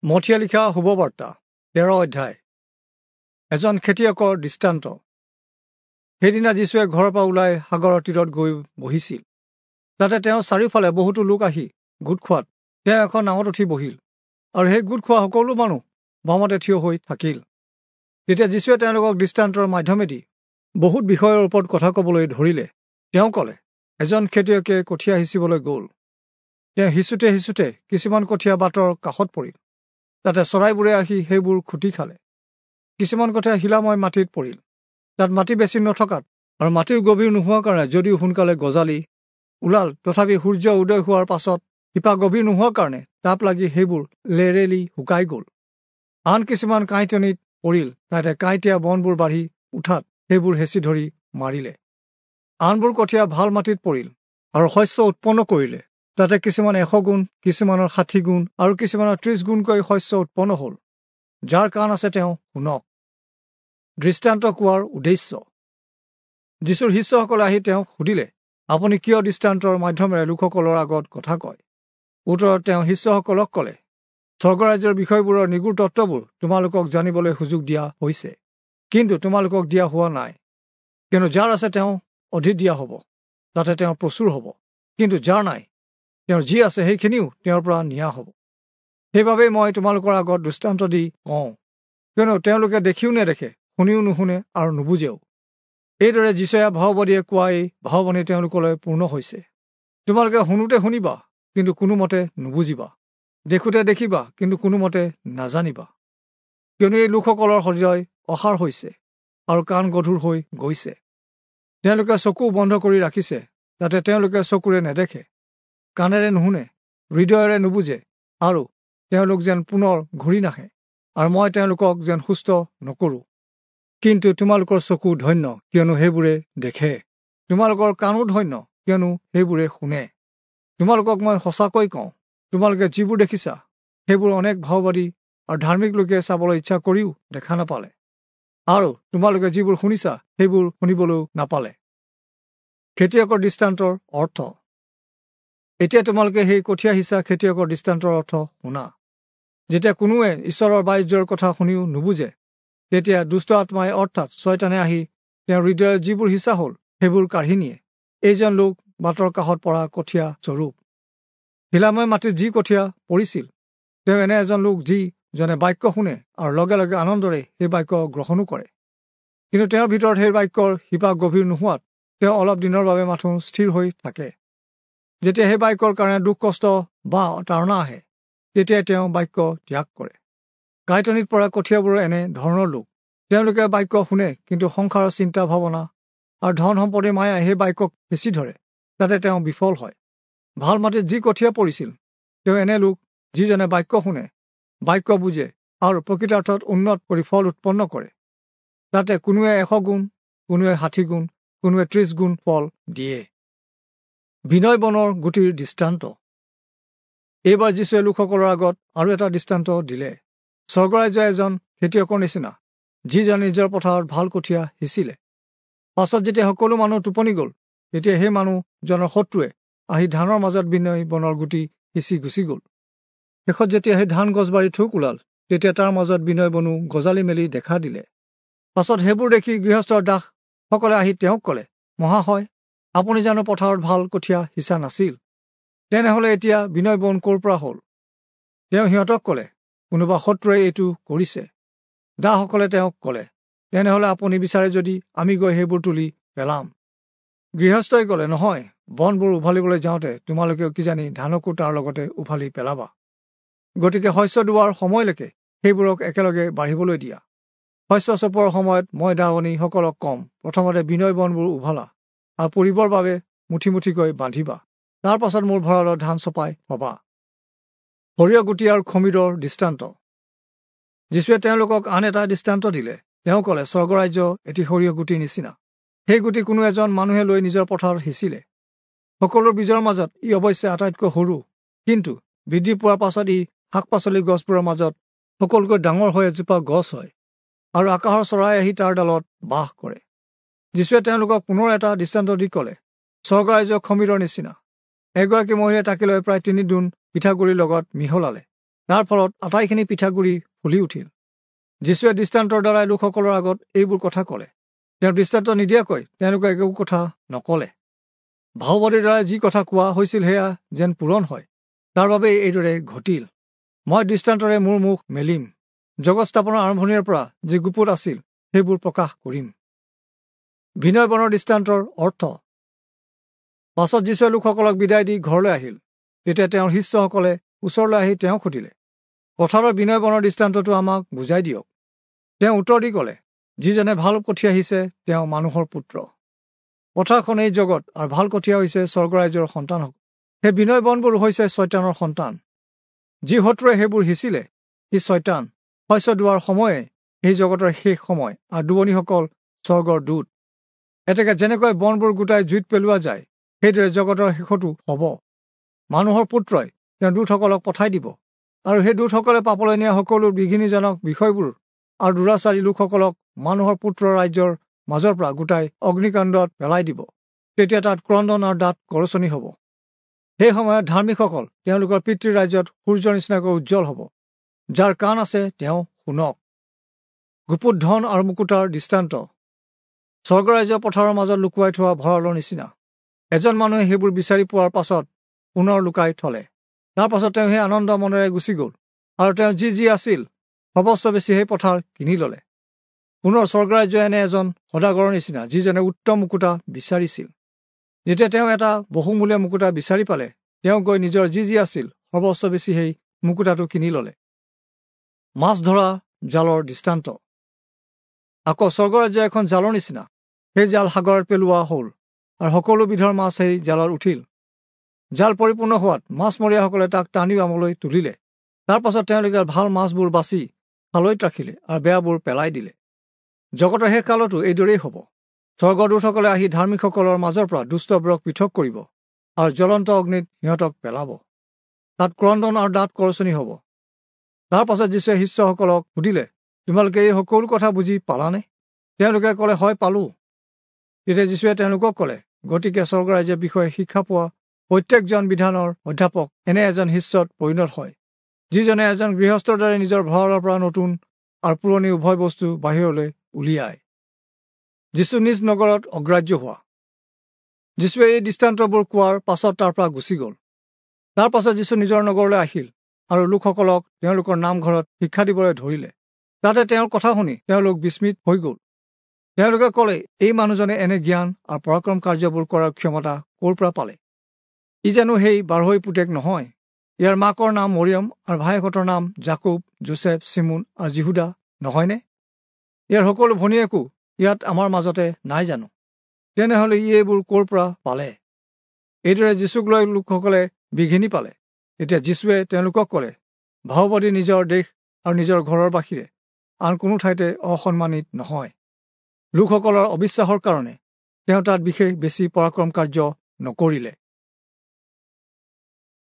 মথিয়ে লিখা শুভবাৰ্তা 13 অধ্যায়। এজন খেতিয়কৰ দৃষ্টান্ত। সেইদিনা যীশুৱে ঘৰৰ পৰা ওলাই সাগৰৰ তীৰত গৈ বহিছিল। তাতে তেওঁৰ চাৰিওফালে বহুতো লোক আহি গোট খোৱাত তেওঁ এখন নাৱত উঠি বহিল, আৰু সেই গোট খোৱা সকলো মানুহ বামতে থিয় হৈ থাকিল। তেতিয়া যীশুৱে তেওঁলোকক দৃষ্টান্তৰ মাধ্যমেদি বহুত বিষয়ৰ ওপৰত কথা ক'বলৈ ধৰিলে। তেওঁ ক'লে, এজন খেতিয়কে কঠীয়া সিঁচিবলৈ গ'ল। তেওঁ সিঁচোতে সিঁচোতে কিছুমান কঠীয়া বাটৰ কাষত পৰিল। তাতে চৰাইবোৰে আহি সেইবোৰ খুটি খালে। কিছুমান কঠীয়া শিলাময় মাটিত পৰিল। তাত মাটি বেছি নথকাত আৰু মাটিও গভীৰ নোহোৱাৰ কাৰণে যদিও সোনকালে গজালি ওলাল, তথাপি সূৰ্য উদয় হোৱাৰ পাছত শিপা গভীৰ নোহোৱাৰ কাৰণে তাপ লাগি সেইবোৰ লেৰেলি শুকাই গ'ল। আন কিছুমান কাঁইটনিত পৰিল। তাতে কাঁইটীয়া বনবোৰ বাঢ়ি উঠাত সেইবোৰ হেঁচি ধৰি মাৰিলে। আনবোৰ কঠীয়া ভাল মাটিত পৰিল আৰু শস্য উৎপন্ন কৰিলে। তাতে কিছুমান 100 গুণ, কিছুমানৰ 60 গুণ আৰু কিছুমানৰ 30 গুণকৈ শস্য উৎপন্ন হ'ল। যাৰ কাণ আছে তেওঁ শুনক। দৃষ্টান্ত কোৱাৰ উদ্দেশ্য। যীশুৰ শিষ্যসকলে আহি তেওঁক সুধিলে, আপুনি কিয় দৃষ্টান্তৰ মাধ্যমেৰে লোকসকলৰ আগত কথা কয়? উত্তৰত তেওঁ শিষ্যসকলক ক'লে, স্বৰ্গৰাজ্যৰ বিষয়বোৰৰ নিগূঢ় তত্ত্ববোৰ তোমালোকক জানিবলৈ সুযোগ দিয়া হৈছে, কিন্তু তোমালোকক দিয়া হোৱা নাই। কিয়নো যাৰ আছে তেওঁ অধিক দিয়া হ'ব, তাতে তেওঁ প্ৰচুৰ হ'ব, কিন্তু যাৰ নাই তেওঁৰ যি আছে সেইখিনিও তেওঁৰ পৰা নিয়া হ'ব। সেইবাবেই মই তোমালোকৰ আগত দৃষ্টান্ত দি কওঁ, কিয়নো তেওঁলোকে দেখিও নেদেখে, শুনিও নুশুনে আৰু নুবুজেও। এইদৰে যিচয়া ভাওবাদীয়ে কোৱা এই ভাওবাণী তেওঁলোকলৈ পূৰ্ণ হৈছে। তোমালোকে শুনোতে শুনিবা, কিন্তু কোনোমতে নুবুজিবা; দেখোঁতে দেখিবা, কিন্তু কোনোমতে নাজানিবা। কিয়নো এই লোকসকলৰ হৃদয় অসাৰ হৈছে আৰু কাণ গধুৰ হৈ গৈছে। তেওঁলোকে চকু বন্ধ কৰি ৰাখিছে, যাতে তেওঁলোকে চকুৰে নেদেখে, কাণেৰে নুশুনে, হৃদয়েৰে নুবুজে, আৰু তেওঁলোক যেন পুনৰ ঘূৰি নাহে, আৰু মই তেওঁলোকক যেন সুস্থ নকৰোঁ। কিন্তু তোমালোকৰ চকু ধন্য, কিয়নো সেইবোৰে দেখে; তোমালোকৰ কাণো ধন্য, কিয়নো সেইবোৰে শুনে। তোমালোকক মই সঁচাকৈ কওঁ, তোমালোকে যিবোৰ দেখিছা সেইবোৰ অনেক ভাওবাদী আৰু ধাৰ্মিক লোকে চাবলৈ ইচ্ছা কৰিও দেখা নাপালে, আৰু তোমালোকে যিবোৰ শুনিছা সেইবোৰ শুনিবলৈও নাপালে। খেতিয়কৰ দৃষ্টান্তৰ অৰ্থ। এতিয়া তোমালোকে সেই কঠীয়া সিঁচা খেতিয়কৰ দৃষ্টান্তৰ অৰ্থ শুনা। যেতিয়া কোনোৱে ঈশ্বৰৰ বাণিজ্যৰ কথা শুনিও নুবুজে, তেতিয়া দুষ্ট আত্মাই অৰ্থাৎ ছয়তানে আহি তেওঁৰ হৃদয়ত যিবোৰ সিঁচা হ'ল সেইবোৰ কাঢ়ি নিয়ে। এইজন লোক বাটৰ কাষত পৰা কঠীয়া স্বৰূপ। শিলাময় মাটিত যি কঠীয়া পৰিছিল, তেওঁ এনে এজন লোক যিজনে বাক্য শুনে আৰু লগে লগে আনন্দৰে সেই বাক্য গ্ৰহণো কৰে, কিন্তু তেওঁৰ ভিতৰত সেই বাক্যৰ শিপা গভীৰ নোহোৱাত তেওঁ অলপ দিনৰ বাবে মাথোঁ স্থিৰ হৈ থাকে। যেতিয়া সেই বাক্যৰ কাৰণে দুখ কষ্ট বা তাৰণা আহে, তেতিয়াই তেওঁ বাক্য ত্যাগ কৰে। কাঁইটনিত পৰা কঠীয়াবোৰৰ এনে ধৰণৰ লোক। তেওঁলোকে বাক্য শুনে, কিন্তু সংসাৰৰ চিন্তা ভাৱনা আৰু ধন সম্পত্তিৰ মায়াই সেই বাক্যক হেঁচি ধৰে, তাতে তেওঁ বিফল হয়। ভাল মাটিত যি কঠীয়া পৰিছিল, তেওঁ এনে লোক যিজনে বাক্য শুনে, বাক্য বুজে আৰু প্ৰকৃতাৰ্থত উন্নত কৰি ফল উৎপন্ন কৰে। তাতে কোনোৱে 100 গুণ, কোনোৱে 60 গুণ, কোনোৱে 30 গুণ ফল দিয়ে। বিনয় বনৰ গুটিৰ দৃষ্টান্ত। এইবাৰ যীশুৱে লোকসকলৰ আগত আৰু এটা দৃষ্টান্ত দিলে। স্বৰ্গৰাজ্য এজন খেতিয়কৰ নিচিনা, যিজনে নিজৰ পথাৰত ভাল কঠীয়া সিঁচিলে। পাছত যেতিয়া সকলো মানুহ টোপনি গ'ল, তেতিয়া সেই মানুহজনৰ শত্ৰুৱে আহি ধানৰ মাজত বিনয় বনৰ গুটি সিঁচি গুচি গ'ল। শেষত যেতিয়া সেই ধান গছবাৰী থোক ওলাল, তেতিয়া তাৰ মাজত বিনয় বনো গজালি মেলি দেখা দিলে। পাছত সেইবোৰ দেখি গৃহস্থৰ দাসসকলে আহি তেওঁক ক'লে, মহাশয়, আপুনি জানো পথাৰত ভাল কঠীয়া সিঁচা নাছিল? তেনেহ'লে এতিয়া বিনয় বন ক'ৰ পৰা হ'ল? তেওঁ সিহঁতক ক'লে, কোনোবা শত্ৰুৱে এইটো কৰিছে। দাসসকলে তেওঁক ক'লে, তেনেহ'লে আপুনি বিচাৰে যদি আমি গৈ সেইবোৰ তুলি পেলাম। গৃহস্থই ক'লে, নহয়, বনবোৰ উভালিবলৈ যাওঁতে তোমালোকেও কিজানি ধানকো তাৰ লগতে উভালি পেলাবা। গতিকে শস্য দোৱাৰ সময়লৈকে সেইবোৰক একেলগে বাঢ়িবলৈ দিয়া। শস্য চপোৱাৰ সময়ত মই দাৱনীসকলক ক'ম, প্ৰথমতে বিনয় বনবোৰ উভালা আৰু পুৰিবৰ বাবে মুঠি মুঠিকৈ বান্ধিবা, তাৰ পাছত মোৰ ভঁৰালত ধান চপাই থবা। সৰিয়হ গুটি আৰু খমিৰৰ দৃষ্টান্ত। যীশুৱে তেওঁলোকক আন এটা দৃষ্টান্ত দিলে। তেওঁ ক'লে, স্বৰ্গৰাজ্য এটি সৰিয়হ গুটিৰ নিচিনা। সেই গুটি কোনো এজন মানুহে লৈ নিজৰ পথাৰত সিঁচিলে। সকলো বীজৰ মাজত ই অৱশ্যে আটাইতকৈ সৰু, কিন্তু বৃদ্ধি পোৱাৰ পাছত ই শাক পাচলি গছবোৰৰ মাজত সকলোতকৈ ডাঙৰ হৈ এজোপা গছ হয়, আৰু আকাশৰ চৰাই আহি তাৰ ডালত বাস কৰে। যীশুৱে তেওঁলোকক পুনৰ এটা দৃষ্টান্ত দি ক'লে, স্বৰ্গৰাজ্য খমিৰৰ নিচিনা। এগৰাকী মহিলাই তাকে লৈ প্ৰায় 3 দোণ পিঠাগুড়িৰ লগত মিহলালে। তাৰ ফলত আটাইখিনি পিঠাগুড়ি ফুলি উঠিল। যীশুৱে দৃষ্টান্তৰ দ্বাৰাই লোকসকলৰ আগত এইবোৰ কথা ক'লে। তেওঁ দৃষ্টান্ত নিদিয়াকৈ তেওঁলোকে একো কথা নক'লে। ভাওবাদীৰ দ্বাৰাই যি কথা কোৱা হৈছিল সেয়া যেন পূৰণ হয়, তাৰ বাবেই এইদৰে ঘটিল। মই দৃষ্টান্তৰে মোৰ মুখ মেলিম, জগত স্থাপনৰ আৰম্ভণিৰ পৰা যি গুপুত আছিল সেইবোৰ প্ৰকাশ কৰিম। বিনয় বনৰ দৃষ্টান্তৰ অৰ্থ। পাছত যীশুৱে লোকসকলক বিদায় দি ঘৰলৈ আহিল। তেতিয়া তেওঁৰ শিষ্যসকলে ওচৰলৈ আহি তেওঁক সুধিলে, পথাৰৰ বিনয় বনৰ দৃষ্টান্তটো আমাক বুজাই দিয়ক। তেওঁ উত্তৰ দি ক'লে, যিজনে ভাল কঠীয়া সিঁচে তেওঁ মানুহৰ পুত্ৰ। পথাৰখন এই জগত আৰু ভাল কঠীয়া হৈছে স্বৰ্গৰাজ্যৰ সন্তানসকল। সেই বিনয় বনবোৰ হৈছে ছয়তানৰ সন্তান। যি শত্ৰুৱে সেইবোৰ সিঁচিলে সি ছয়তান। শস্য দোৱাৰ সময়ে সেই জগতৰ শেষ সময় আৰু দুৱনীসকল স্বৰ্গৰ দূত। এতেকে যেনেকৈ বনবোৰ গোটাই জুইত পেলোৱা যায়, সেইদৰে জগতৰ শেষতো হ'ব। মানুহৰ পুত্ৰই তেওঁ দূতসকলক পঠাই দিব আৰু সেই দূতসকলে পাপলৈ নিয়া সকলো বিঘিনিজনক বিষয়বোৰ আৰু দুৰাচাৰী লোকসকলক মানুহৰ পুত্ৰৰ ৰাজ্যৰ মাজৰ পৰা গোটাই অগ্নিকাণ্ডত পেলাই দিব। তেতিয়া তাত ক্ৰন্দন আৰু দাঁত কৰচনি হ'ব। সেই সময়ত ধাৰ্মিকসকল তেওঁলোকৰ পিতৃৰ ৰাজ্যত সূৰ্যৰ নিচিনাকৈ উজ্জ্বল হ'ব। যাৰ কাণ আছে তেওঁ শুনক। গুপুত ধন আৰু মুকুতাৰ দৃষ্টান্ত। স্বৰ্গৰাজ্য পথাৰৰ মাজত লুকুৱাই থোৱা ভঁৰালৰ নিচিনা। এজন মানুহে সেইবোৰ বিচাৰি পোৱাৰ পাছত পুনৰ লুকাই থলে। তাৰ পাছত তেওঁ সেই আনন্দ মনেৰে গুচি গ'ল আৰু তেওঁ যি যি আছিল সৰ্বস্ব বেছি সেই পথাৰ কিনি ল'লে। পুনৰ স্বৰ্গৰাজ্য এনে এজন সদাগৰৰ নিচিনা, যিজনে উত্তম মুকুতা বিচাৰিছিল। যেতিয়া তেওঁ এটা বহুমূলীয়া মুকুতা বিচাৰি পালে, তেওঁ গৈ নিজৰ যি যি আছিল সৰ্বস্ব বেছি সেই মুকুতাটো কিনি ল'লে। মাছ ধৰা জালৰ দৃষ্টান্ত। আকৌ স্বৰ্গৰাজ্য এখন জালৰ নিচিনা। সেই জাল সাগৰত পেলোৱা হ'ল আৰু সকলো বিধৰ মাছ সেই জালত উঠিল। জাল পৰিপূৰ্ণ হোৱাত মাছমৰীয়াসকলে তাক টানি আমলৈ তুলিলে। তাৰ পাছত তেওঁলোকে ভাল মাছবোৰ বাছি খালৈত ৰাখিলে আৰু বেয়াবোৰ পেলাই দিলে। জগতৰ শেষ কালতো এইদৰেই হ'ব। স্বৰ্গদূতসকলে আহি ধাৰ্মিকসকলৰ মাজৰ পৰা দুষ্টবোৰক পৃথক কৰিব আৰু জ্বলন্ত অগ্নিত সিহঁতক পেলাব। তাত ক্ৰন্দন আৰু দাঁত কৰচনি হ'ব। তাৰ পাছত যীশুৱে শিষ্যসকলক সুধিলে, তোমালোকে এই সকলো কথা বুজি পালানে? তেওঁলোকে ক'লে, হয় পালোঁ। তেতিয়া যীশুৱে তেওঁলোকক ক'লে, গতিকে স্বৰ্গৰাজ্যৰ বিষয়ে শিক্ষা পোৱা প্ৰত্যেকজন বিধানৰ অধ্যাপক এনে এজন শিষ্যত পৰিণত হয়, যিজনে এজন গৃহস্থৰ দৰে নিজৰ ভঁৰালৰ পৰা নতুন আৰু পুৰণি উভয় বস্তু বাহিৰলৈ উলিয়ায়। যীশু নিজ নগৰত অগ্ৰাহ্য হোৱা। যীশুৱে এই দৃষ্টান্তবোৰ কোৱাৰ পাছত তাৰ পৰা গুচি গ'ল। তাৰ পাছত যীশু নিজৰ নগৰলৈ আহিল আৰু লোকসকলক তেওঁলোকৰ নামঘৰত শিক্ষা দিবলৈ ধৰিলে। তাতে তেওঁৰ কথা শুনি তেওঁলোক বিস্মিত হৈ গ'ল। তেওঁলোকে ক'লে, এই মানুহজনে এনে জ্ঞান আৰু পৰাক্ৰম কাৰ্যবোৰ কৰাৰ ক্ষমতা ক'ৰ পৰা পালে? ই জানো সেই বাঢ়ৈ পুতেক নহয়? ইয়াৰ মাকৰ নাম মৰিয়ম আৰু ভায়েকহঁতৰ নাম জাকুব, যোচেফ, চিমোন আৰু জিহুদা নহয়নে? ইয়াৰ সকলো ভনীয়েকো ইয়াত আমাৰ মাজতে নাই জানো? তেনেহ'লে ই এইবোৰ ক'ৰ পৰা পালে? এইদৰে যীশুক লৈ লোকসকলে বিঘিনি পালে। তেতিয়া যীশুৱে তেওঁলোকক ক'লে, ভাওবাদী নিজৰ দেশ আৰু নিজৰ ঘৰৰ বাহিৰে আন কোনো ঠাইতে অসন্মানিত নহয়। লোকসকলৰ অবিশ্বাসৰ কাৰণে তেওঁ তাত বিশেষ বেছি পৰাক্ৰম কাৰ্য নকৰিলে।